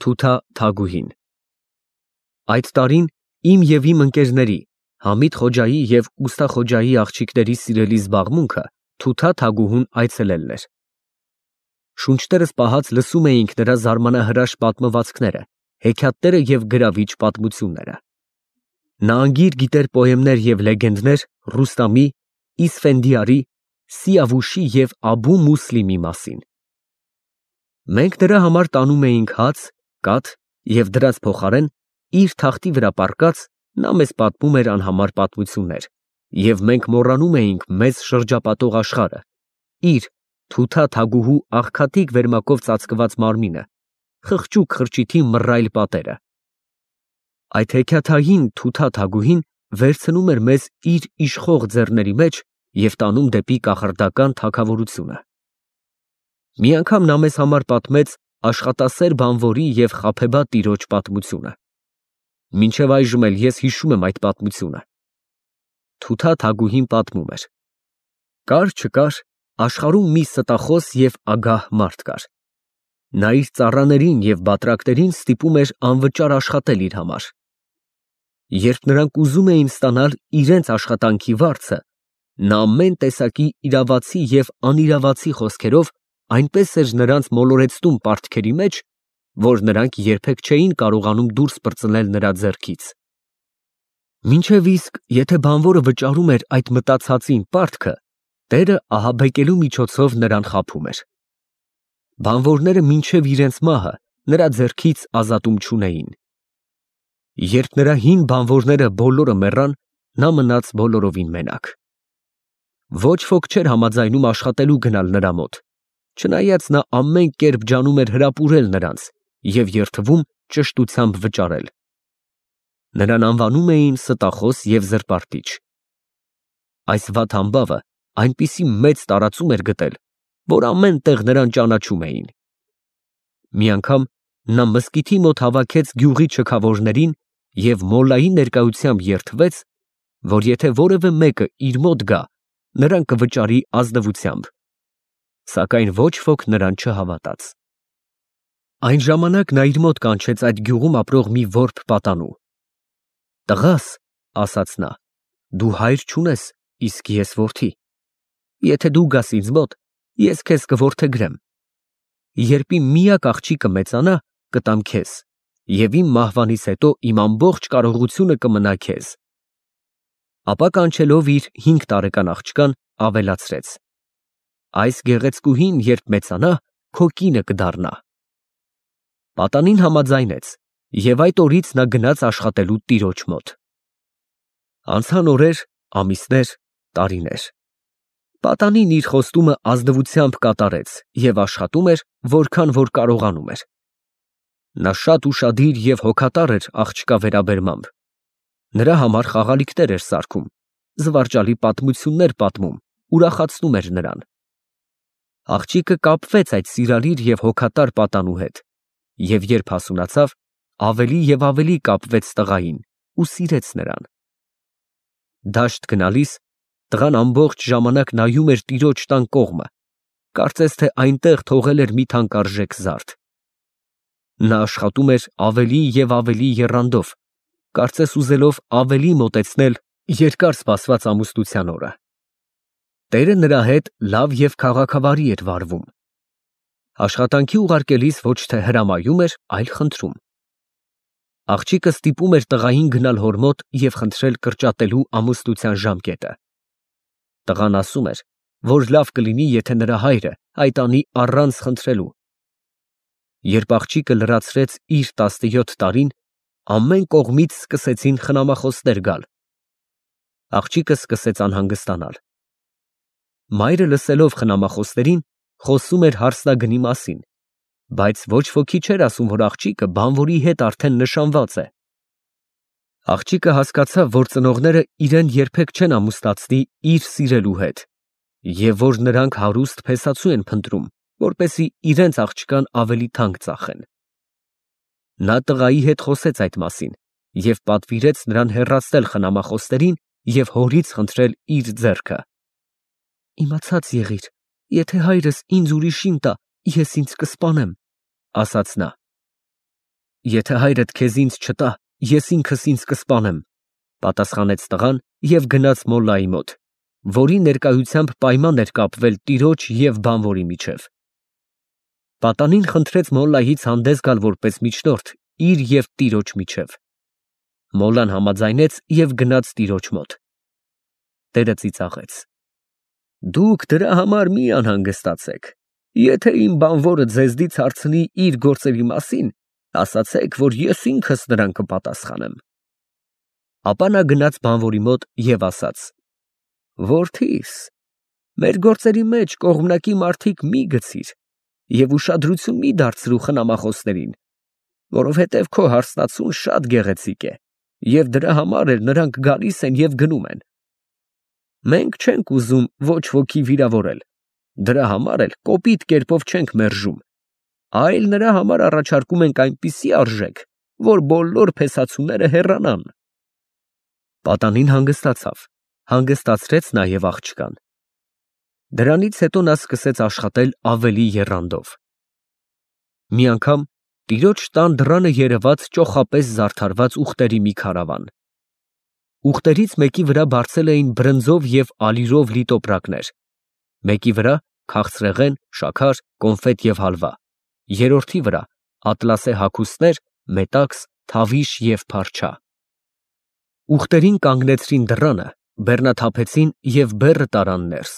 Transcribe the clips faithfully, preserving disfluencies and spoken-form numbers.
Թութա Թագուհին։ Այդ տարին իմ և իմ ընկերների Համիդ Խոջայի և Ուստա Խոջայի աղջիկների սիրելի զբաղմունքը Թութա Թագուհուն այցելելն էր։ Շունչներս պահած լսում էինք նրա զարմանահրաշ պատմվածքները, հեքիաթները և գրավիչ պատմությունները։ Նա անգիր գիտեր պոեմներ և լեգենդներ Ռուստամի, Իսֆենդիարի, Սիավուշի և Աբու Մուսլիմի մասին։ Մենք նրա համար տանում էինք հաց, կաթ և դրանց փոխարեն իր թախտի վրա պառկած նա մեզ պատմում էր անհամար պատմություններ, և մենք մոռանում էինք մեզ շրջապատող աշխարհը, իր՝ Թութա Թագուհու աղքատիկ վերմակով ծածկված մարմինը, խղճուկ խրճիթի մռայլ պատերը։ Այդ հեքիաթային Թութա Թագուհին վերցնում էր մեզ իր իշխող ձեռների մեջ և տանում դեպի կախարդական թագավորությունը։ Մի անգամ նա մեզ համար պատմեց աշխատասեր բանվորի և խաբեբա տիրոջ պատմությունը։ Մինչև այժմ էլ ես հիշում եմ այդ պատմությունը։ Թութա Թագուհին պատմում էր. կար֊չկար, աշխարհում մի ստախոս և ագահ մարդ կար։ Նա իր ծառաներին և բատրակներին ստիպում էր անվճար աշխատել իր համար։ Երբ նրանք ուզում էին ստանալ իրենց աշխատանքի վարձը, նա ամեն տեսակի իրավացի և անիրավացի խոսքերով այնպես էր նրանց մոլորեցնում պարտքերի մեջ, որ նրանք երբեք չէին կարողանում դուրս պրծնել նրա ձեռքից։ Մինչև իսկ եթե բանվորը վճարում էր այդ մտածածին պարտքը, տերը ահաբեկելու միջոցով նրան խաբում էր։ Բանվորները մինչև իրենց մահը նրա ձեռքից ազատում չունեին։ Երբ նրա հին բանվորները բոլորը մեռան, նա մնաց բոլորովին մենակ։ Ոչ ոք չէր համաձայնում աշխատելու գնալ նրա մոտ, չնայած նա ամեն կերպ ջանում էր հրապուրել նրանց և երդվում ճշտությամբ վճարել։ Նրան անվանում էին Ստախոս և Զրպարտիչ։ Այս վատ համբավը այնպիսի մեծ տարածում էր գտել, որ ամեն տեղ նրան ճանաչում էին։ Մի անգամ նա մզկիթի մոտ հավաքեց գյուղի չքավորներին և մոլլայի ներկայությամբ երդվեց, որ եթե որևէ մեկը իր մոտ գա, նրան կվճարի ազնվությամբ, սակայն ոչ ոք նրան չհավատաց։ Այն ժամանակ նա իր մոտ կանչեց այդ գյուղում ապրող մի որբ պատանու։ «Տղա՛ս, ֊ ասաց նա, ֊ դու հայր չունես, իսկ ես որդի։ Եթե դու գաս ինձ մոտ, ես քեզ կորդեգրեմ։ Երբ իմ միակ աղջիկը մեծանա, կտամ քեզ, և իմ մահվանից հետո իմ ամբողջ կարողությունը կմնա քեզ»։ Ապա կանչելով իր հինգ տարեկան աղջկան, ավելացրեց. «Այս գեղեցկուհին, երբ մեծանա, քո կինը կդառնա»։ Պատանին համաձայնեց, և այդ օրից նա գնաց աշխատելու տիրոջ մոտ։ Անցան օրեր, ամիսներ, տարիներ։ Պատանին իր խոստումը ազնվությամբ կատարեց և աշխատում էր, որքան որ կարողանում էր։ Նա շատ ուշադիր և հոգատար էր աղջկա վերաբերմամբ։ Նրա համար խաղալիքներ էր սարքում, զվարճալի պատմություններ պատմում, ուրախացնում էր նրան։ Աղջիկը կապվեց այդ սիրալիր և հոգատար պատանու հետ և երբ հասունացավ, ավելի և ավելի կապվեց տղային ու սիրեց նրան։ Դաշտ գնալիս տղան ամբողջ ժամանակ նայում էր տիրոջ տան կողմը, կարծես թե այնտեղ թողել էր մի թանկարժեք զարդ։ Նա աշխատում էր ավելի և ավելի եռանդով, կարծես ուզելով ավելի մոտեցնել երկար սպասված ամուսնության օրը։ Տերը նրա հետ լավ և քաղաքավարի էր վարվում։ Աշխատանքի ուղարկելիս ոչ թե հրամայում էր, այլ խնդրում։ Աղջիկը ստիպում էր տղային գնալ հոր մոտ և խնդրել կրճատելու ամուսնության ժամկետը։ Տղան ասում էր, որ լավ կլինի, եթե նրա հայրը այդ անի առանց խնդրելու։ Երբ աղջիկը լրացրեց իր տասնյոթ տարին, ամեն կողմից սկսեցին խնամախոսներ գալ։ Աղջիկը սկսեց անհանգստանալ։ Մայրը լսելով խնամախոսներին, խոսում էր հարսնագնի մասին, բայց ոչ ոքի չէր ասում, որ աղջիկը բանվորի հետ արդեն նշանված է։ Աղջիկը հասկացավ, որ ծնողները իրեն երբեք չեն ամուսնացնի իր սիրելու հետ, և որ նրանք հարուստ փեսացու են փնտրում, որպեսզի իրենց աղջկան ավելի թանկ ծախեն։ Նա տղայի հետ խոսեց այդ մասին և պատվիրեց նրան հեռացնել խնամախոսներին և հորից խնդրել իր ձեռքը։ «Իմացած եղիր, եթե հայրս ինձ ուրիշին տա, ես ինձ կսպանեմ», ֊ ասաց նա։ Եթե հայրդ քեզ ինձ չտա, ես ինքս ինձ կսպանեմ, պատասխանեց տղան և գնաց մոլլայի մոտ, որի ներկայությամբ պայման էր կապվել տիրոջ և բանվորի միջև։ Պատանին խնդրեց մոլլայից հանդես գալ որպես միջնորդ իր և տիրոջ միջև։ Մոլլան համաձայնեց և գնաց տիրոջ մոտ։ Տերը ծիծաղեց. Դուք դրա համար մի անհանգստացեք, եթե իմ բանվորը ձեզնից հարցնի իր գործերի մասին, ասացեք, որ ես ինքս նրան կպատասխանեմ։ Ապա նա գնաց բանվորի մոտ և ասաց. Որդիս, մեր գործերի մեջ կողմնակի մարդիկ մի գցիր և ուշադրություն մի դարձրու խնամախոսներին, որովհետև քո հարսնացուն շատ գեղեցիկ է, և դրա համար էլ նրանք գալիս են և գնում են։ Մենք չենք ուզում ոչ ոքի վիրավորել, դրա համար էլ կոպիտ կերպով չենք մերժում, այլ նրա համար առաջարկում ենք այնպիսի արժեք, որ բոլոր փեսացուները հեռանան։ Պատանին հանգստացավ, հանգստացրեց նաև աղջկան։ Դրանից հետո նա սկսեց աշխատել ավելի եռանդով։ Մի անգամ տիրոջ տան դռանը երևաց ճոխապես զարդարված ուղտերի մի քարավան։ Ուղտերից մեկի վրա բարձել էին բրնձով և ալիրով լի տոպրակներ, մեկի վրա քաղցրեղեն, շաքար, կոնֆետ և հալվա, երրորդի վրա ատլասե հագուստներ, մետաքս, թավիշ և փարչա։ Ուղտերին կանգնեցրին դռանը, բեռնաթափեցին և բեռը տարան ներս։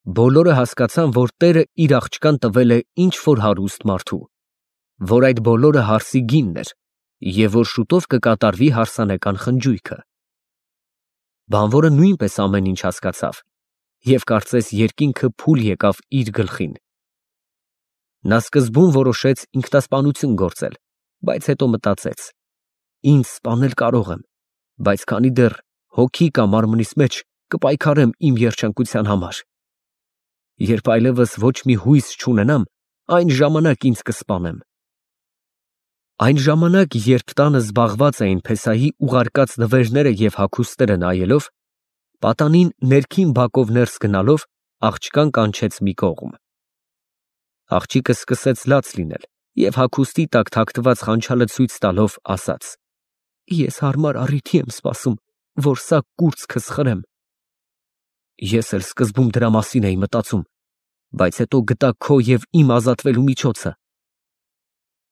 Բոլորը հասկացան, որ տերը իր աղջկան տվել է ինչ֊որ հարուստ մարդու, որ այդ բոլորը հարսի գինն էր և որ շուտով կկատարվի հարսանեկան խնջույքը։ Բանվորը նույնպես ամեն ինչ հասկացավ և կարծես երկինքը փուլ եկավ իր գլխին։ Նա սկզբում որոշեց ինքնասպանություն գործել, բայց հետո մտածեց. ինձ սպանել կարող եմ, բայց քանի դեռ հոգի կա մարմնիս մեջ, կպայքարեմ իմ երջանկության համար։ Երբ այլևս ոչ մի հույս չունենամ, այն ժամանակ ինձ կսպանեմ։ Այն ժամանակ, երբ տանը զբաղված էին փեսայի ուղարկած նվերները և հագուստները նայելով, պատանին ներքին բակով ներս գնալով աղջկան կանչեց մի կողմ։ Աղջիկը սկսեց լաց լինել և հագուստի տակ թաքնված խանչալը ցույց տալով ասաց. Ես հարմար առիթի եմ սպասում, որ սա կուրծքս խրեմ։ Ես էլ սկզբում դրա մասին էի մտածում, բայց հետո գտա քո և իմ ազատվելու միջոցը։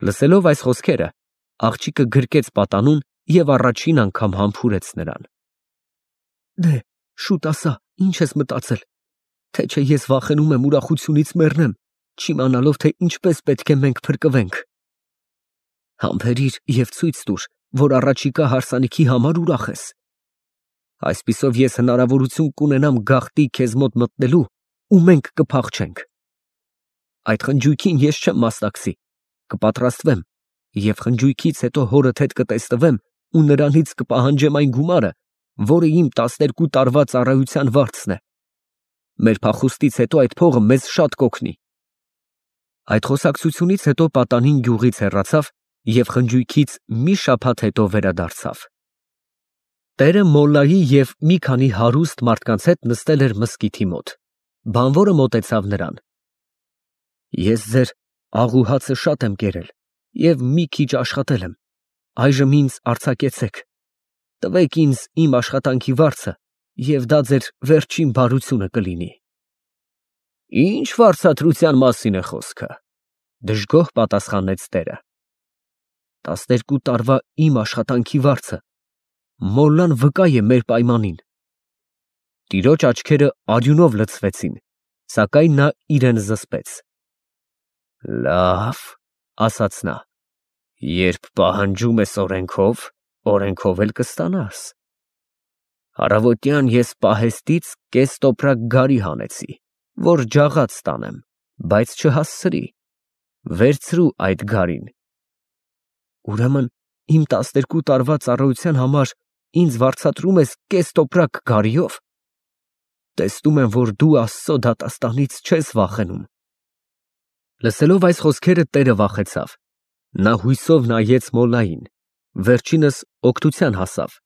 Լսելով այս խոսքերը, աղջիկը գրկեց պատանուն և առաջին անգամ համբուրեց նրան։ Դե, շուտ ասա, ինչ ես մտածել, թե չէ ես վախենում եմ ուրախությունից մեռնեմ, չիմանալով, թե ինչպես պետք է մենք փրկվենք։ Համբերիր և ցույց տուր, որ առաջիկա հարսանիքի համար ուրախ ես։ Այսպիսով ես հնարավորություն կունենամ գաղտնի քեզ մոտ մտնելու ու մենք կփախչենք։ Այդ խնջույքին ես չեմ մասնակցի, կպատրաստվեմ և խնջույքից հետո հորդ հետ կտեսնվեմ ու նրանից կպահանջեմ այն գումարը, որը իմ տասներկու տարվա ծառայության վարձն է։ Մեր փախուստից հետո այդ փողը մեզ շատ կօգնի։ Այդ խոսակցությունից հետո պատանին գյուղից հեռացավ և խնջույքից մի շաբաթ հետո վերադարձավ։ Տերը մոլլայի և մի քանի հարուստ մարդկանց հետ նստել էր մզկիթի մոտ։ Բանվորը մոտեցավ նրան. Ես ձեր աղ ու հացը շատ եմ կերել և մի քիչ աշխատել եմ, այժմ ինձ արձակեցեք, տվեք ինձ իմ աշխատանքի վարձը և դա ձեր վերջին բարությունը կլինի։ Ինչ վարձատրության մասին է խոսքը, դժգոհ պատասխանեց տերը։ Տասներկու տարվա իմ աշխատանքի վարձը, մոլլան վկա է մեր պայմանին։ Տիրոջ աչքերը արյունով լցվեցին, սակայն նա իրեն զսպեց։ Լավ, ասաց նա, երբ պահանջում ես օրենքով, օրենքով էլ կստանաս։ Առավոտյան ես պահեստից կես տոպրակ գարի հանեցի, որ ջաղած տանեմ, բայց չհասցրի, վերցրու այդ գարին։ Ուրեմն իմ տասներկու տարվա ծառայության համար ինձ վարձատրում ես կես տոպրակ գարիով։ Տեսնում եմ, որ դու Աստծո դատաստանից չես վախենում։ Լսելով այս խոսքերը տերը վախեցավ։ Նա հույսով նայեց մոլլային, վերջինս օգնության հասավ։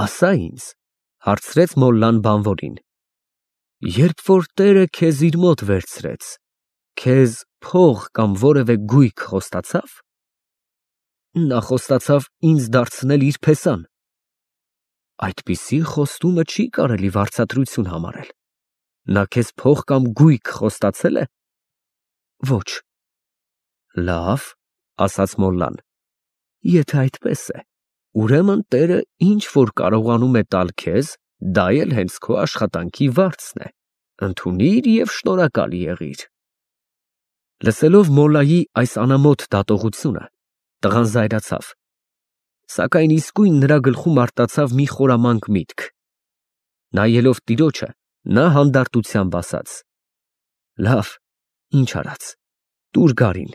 Ասա ինձ, հարցրեց մոլլան բանվորին. երբ որ տերը քեզ իր մոտ վերցրեց, քեզ փող կամ որևէ գույք խոստացա՞վ։ Նա խոստացավ ինձ դարձնել իր փեսան։ Այդպիսի խոստումը չի կարելի վարձատրություն համարել։ Նա քեզ փող կամ գույք խոստացե՞լ է։ Ոչ։ Լավ, ասաց մոլլան, եթե այդպես է, ուրեմն Տերը ինչ որ կարողանում է տալ քեզ, դա էլ հենց քո աշխատանքի վարձն է, ընդունիր և շնորհակալ եղիր։ Լսելով մոլլայի այս անամոթ դատողությունը, տղան զայրացավ, սակայն իսկույն նրա գլխում արտացավ մի խորամանկ միտք։ Նայելով տիրոջը, նա հանդարտությամբ ասաց. Լավ, ինչ արած, տուր գարին։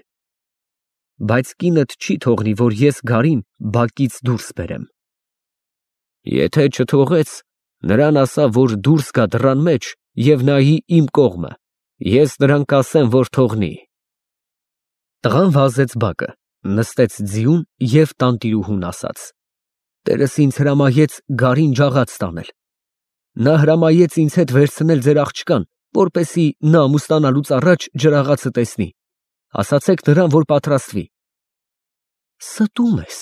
Բայց կինդ չի թողնի, որ ես գարին բակից դուրս բերեմ։ Եթե չթողեց, նրան ասա, որ դուրս գա դռան մեջ և նայի իմ կողմը, ես նրան կասեմ, որ թողնի։ Տղան վազեց բակը, նստեց ձիուն և տանտիրուհուն ասաց. Տերս ինձ հրամայեց գարին ջաղաց տանել։ Նա հրամայեց ինձ հետ վերցնել ձեր աղջկան, որպեսզի նա ամուսնանալուց առաջ ջրաղացը տեսնի, ասացեք նրան, որ պատրաստվի։ Ստում ես,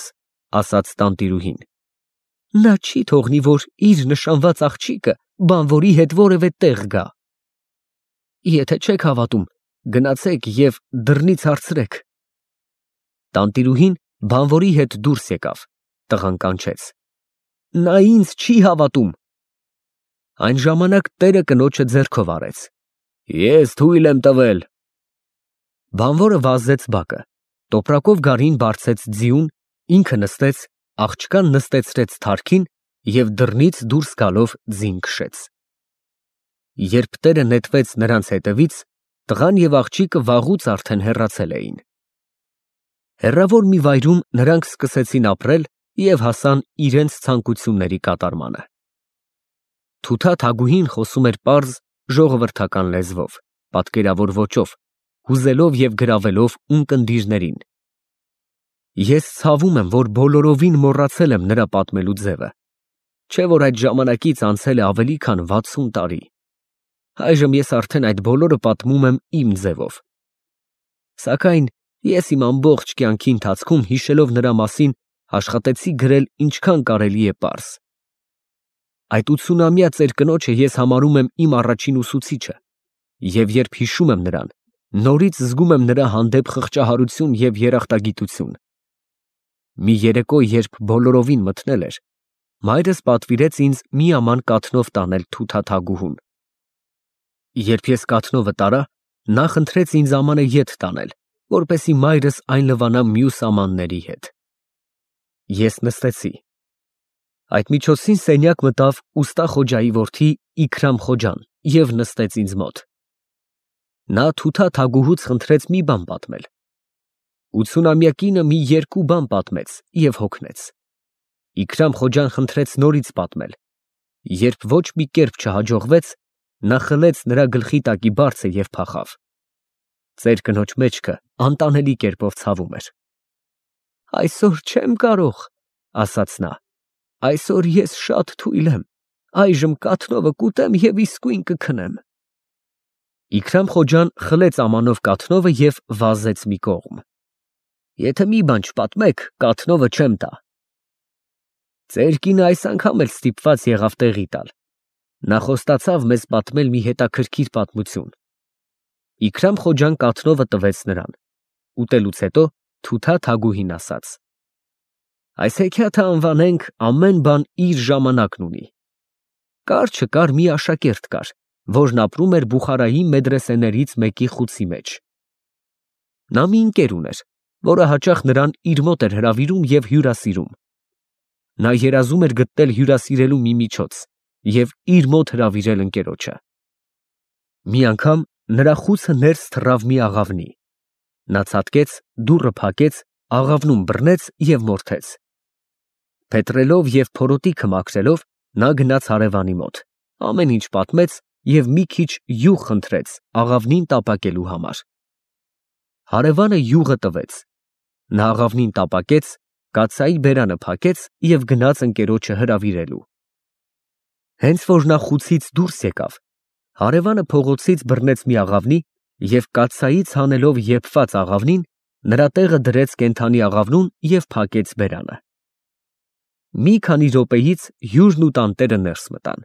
ասաց տանտիրուհին, նա չի թողնի, որ իր նշանված աղջիկը բանվորի հետ որևէ տեղ գա։ Եթե չեք հավատում, գնացեք և դռնից հարցրեք։ Տանտիրուհին բանվորի հետ դուրս եկավ, տղան կանչեց. Նա ինձ չի հավատում։ Այն ժամանակ տերը կնոջը ձեռքով առեց. Ես թույլ եմ տվել։ Բանվորը վազեց բակը, տոպրակով գարին բարձեց ձիուն, ինքը նստեց, աղջկան նստեցրեց թարքին և դռնից դուրս գալով ձին քշեց։ Երբ տերը նետվեց նրանց հետևից, տղան և աղջիկը վաղուց արդեն հեռացել էին։ Հեռավոր մի վայրում նրանք սկսեցին ապրել և հասան իրենց ցանկությունների կատարմանը։ Թութա Թագուհին խոսում էր պարզ, ժողովրդական լեզվով, պատկերավոր ոճով, հուզելով և գրավելով ունկնդիրներին։ Ես ցավում եմ, որ բոլորովին մոռացել եմ նրա պատմելու ձևը, չէ՞ որ այդ ժամանակից անցել է ավելի քան վաթսուն տարի։ Այժմ ես արդեն այդ բոլորը պատմում եմ իմ ձևով։ Սակայն ես իմ ամբողջ կյանքի ընթացքում հիշելով նրա մասին, աշխատեցի գրել ինչքան կարելի է պարզ։ Այդ ութսունամյա ծեր կնոջը ես համարում եմ իմ առաջին ուսուցիչը, և երբ հիշում եմ նրան, նորից զգում եմ նրա հանդեպ խղճահարություն և երախտագիտություն։ Մի երեկո, երբ բոլորովին մթնել էր, մայրս պատվիրեց ինձ մի աման կաթնով տանել Թութա Թագուհուն։ Երբ ես կաթնովը տարա, նա խնդրեց ինձ ամանը ետ տանել, որպեսզի մայրս այն լվանա մյուս ամանների հետ։ Ես նստեցի։ Այդ միջոցին սենյակ մտավ ուստա Խոջայի որդի Իքրամ Խոջան և նստեց ինձ մոտ։ Նա Թութա Թագուհուց խնդրեց մի բան պատմել։ Ութսունամյա կինը մի երկու բան պատմեց և հոգնեց։ Իքրամ Խոջան խնդրեց նորից պատմել։ Երբ ոչ մի կերպ չհաջողվեց, նա խլեց նրա գլխի տակի բարձը և փախավ։ Ծեր կնոջ մեջքը անտանելի կերպով ցավում էր։ Այսօր չեմ կարող, ասաց նա, այսօր ես շատ թույլ եմ, այժմ կաթնովը կուտեմ և իսկույն կքնեմ։ Իքրամ Խոջան խլեց ամանով կաթնովը և վազեց մի կողմ։ Եթե մի բան չպատմեք, կաթնովը չեմ տա։ Ծեր կինը այս անգամ էլ ստիպված եղավ տեղի տալ։ Նա խոստացավ մեզ պատմել մի հետաքրքիր պատմություն։ Իքրամ Խոջան կաթնովը տվեց նրան։ Ուտելուց հետո Թութա Թագուհին ասաց. Այս հեքիաթը անվանենք ամեն բան իր ժամանակն ունի։ Կար չկար մի աշակերտ կար, որն ապրում էր Բուխարայի մեդրեսեներից մեկի խուցի մեջ։ Նա մի ընկեր ուներ, որը հաճախ նրան իր մոտ էր հրավիրում և հյուրասիրում։ Նա երազում էր գտնել հյուրասիրելու մի միջոց և իր մոտ հրավիրել ընկերոջը։ Մի անգամ նրա խուցը ներս թռավ մի աղավնի։ Նա ցատկեց, դուռը փակեց, աղավնում բռնեց և մորթեց։ Փետրելով և փորոտիքը մաքրելով, նա գնաց հարևանի մոտ, ամեն ինչ պատմեց և մի քիչ յուղ խնդրեց աղավնին տապակելու համար։ Հարևանը յուղը տվեց։ Նա աղավնին տապակեց, կաթսայի բերանը փակեց և գնաց ընկերոջը հրավիրելու։ Հենց որ նա խուցից դուրս եկավ, հարևանը փողոցից բռնեց մի աղավնի և կաթսայից հանելով եփված աղավնին, Նրա տեղը դրեց կենդանի աղավնուն և փակեց բերանը։ Մի քանի րոպեից հյուրն ու տանտերը ներս մտան։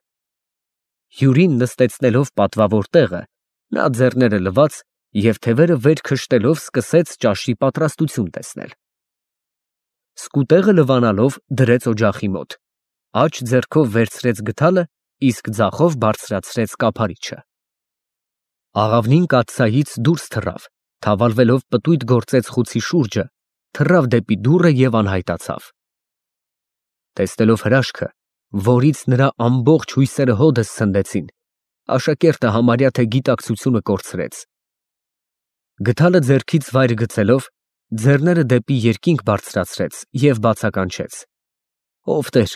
Հյուրին նստեցնելով պատվավոր տեղը, նա ձեռները լվաց և թևերը վեր քշտելով սկսեց ճաշի պատրաստություն տեսնել։ Սկուտեղը լվանալով դրեց օջախի մոտ, աջ ձեռքով վերցրեց գդալը, իսկ ձախով բարձրացրեց կափարիչը։ Աղավնին կաթսայից դուրս թռավ, թավալվելով պտույտ գործեց խուցի շուրջը, թռավ դեպի դուռը և անհայտացավ։ Տեսնելով հրաշքը, որից նրա ամբողջ հույսերը հօդս ցնդեցին, աշակերտը համարյա թե գիտակցությունը կորցրեց։ Գդալը ձեռքից վայր գցելով, ձեռները դեպի երկինք բարձրացրեց և բացականչեց. «Ով Տեր,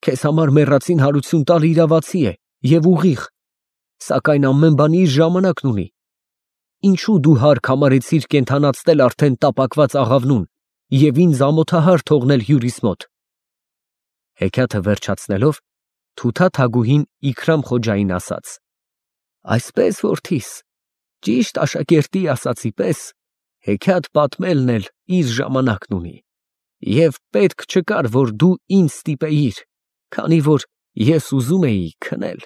քեզ համար մեռածին հարություն տալը իրավացի է և ուղիղ, սակայն ամեն բան իր ժամանակն ունի։ Ինչո՞ւ դու հարկ համարեցիր կենդանացնել արդեն տապակված աղավնուն և ինձ ամոթահար թողնել հյուրիս մոտ»։ Հեքիաթը վերջացնելով, Թութա թագուհին Իքրամ Խոջային ասաց. «Այսպես, որդիս, ճիշտ աշակերտի ասածի պես, հեքիաթ պատմելն էլ իր ժամանակն ունի, և պետք չկար, որ դու ինձ ստիպեիր, քանի որ ես ուզում էի քնել»։